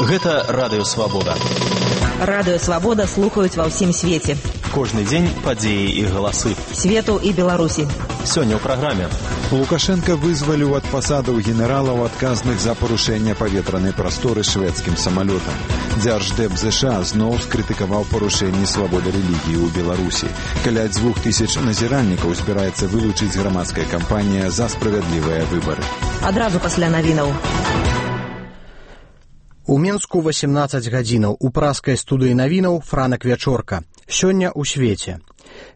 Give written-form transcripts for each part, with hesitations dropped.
Гэта Радыё Свабода. Радыё Свабода слухаюць ва ўсім свеце. Кожны дзень падзеі і галасы. Свету і Беларусі. Сёння ў праграме. Лукашенко вызваліў ад пасадаў генералаў, адказных за парушэнне паветранай прасторы шведскім самалётам. Дзярждэп ЗША зноў скрытыкаваў парушэнні свабоды рэлігіі ў Беларусі. Каля 2000 назіральнікаў збіраецца вылучыць грамадская кампанія за справядлівыя выбары. Адразу пасля навінаў. У Мінску 18 гадзінаў. У праскай студыі навінаў Франак Вячорка. Сёння ў свеце.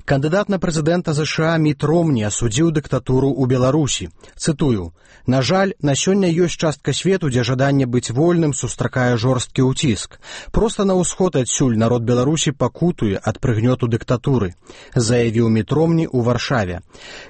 Кандыдат на прэзідэнта ЗША Міт Ромні асудзіў дыктатуру ў Беларусі. Цытую: «На жаль, на сёння ёсць частка свету, дзе жаданне быць вольным сустракае жорсткі ўціск. Проста на ўсход адсюль народ Беларусі пакутуе ад прыгнёту дыктатуры», заявіў Міт Ромні ў Варшаве.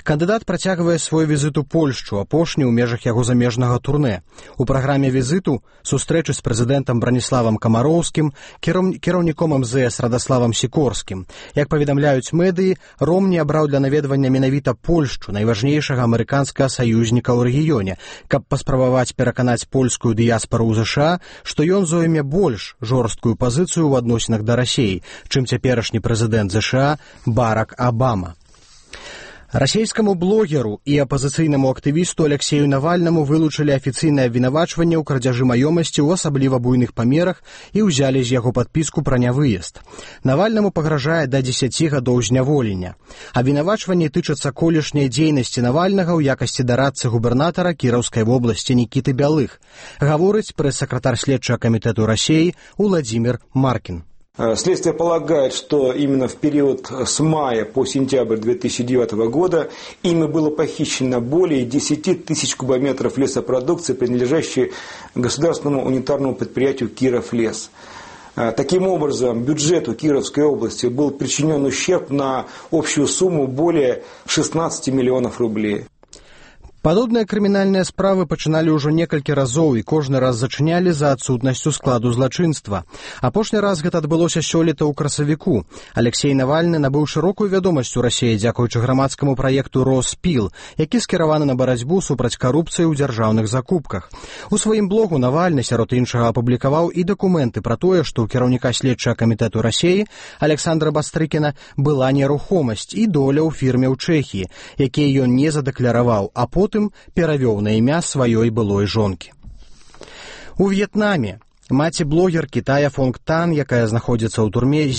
Кандыдат працягвае свой візіт у Польшчу, апошні ў межах яго замежнага турнэ. У праграме візіту сустрэчы з прэзідэнтам Браніславам Камароўскім, кіраўніком МЗС Радаславам Сікорскім. Як паведамляюць медыі, Ромні абраў для наведвання менавіта Польшчу, найважнейшага амерыканскага саюзніка ў рэгіёне, каб паспрабаваць пераканаць польскую дыяспару ў ЗША, што ён зойме больш жорсткую пазіцыю ў адносінах да Расіі, чым цяперашні прэзідэнт ЗША Барак Абама. Расійскаму блогеру і апазіцыйнаму актывісту Алексею Навальнаму вылучылі афіцыйнае абвінавачванне ў крадзяжы маёмасці ў асабліва буйных памерах і ўзялі з яго падпіску пра нявыезд. Навальнаму пагражае да 10 гадоў зняволення. Абвінавачванні тычацца колішняй дзейнасці Навальнага ў якасці дарадцы губернатара Кіраўскай вобласці Нікіты Бялых, гаворыць прэс-сакратар следчага камітэту Расіі Уладзімір Маркін. Следствие полагает, что именно в период с мая по сентябрь 2009 года ими было похищено более 10 тысяч кубометров лесопродукции, принадлежащей государственному унитарному предприятию «Кировлес». Таким образом, бюджету Кировской области был причинен ущерб на общую сумму более 16 миллионов рублей. Падобныя крымінальныя справы пачыналі ўжо некалькі разоў і кожны раз зачынялі за адсутнасцю складу злачынства. Апошні раз гэта адбылося сёлета ў красавіку. Алексей Навальны набыў шырокую вядомасць у Расіі дзякуючы грамадскаму праекту «Роспіл», які скіраваны на барацьбу супраць карупцыі ў дзяржаўных закупках. У сваім блогу Навальны, сярод іншага, апублікаваў і дакументы пра тое, што ў кіраўніка следчага камітэту Расіі Александра Бастрыкіна была нерухомасць і доля ў фірме ў Чэхіі, якія ён не задакляраваў, а потым перавёў на імя сваёй былой жонкі. У В'етнаме маці блогеркі Тая Фонг Тан, якая знаходзіцца ў турме,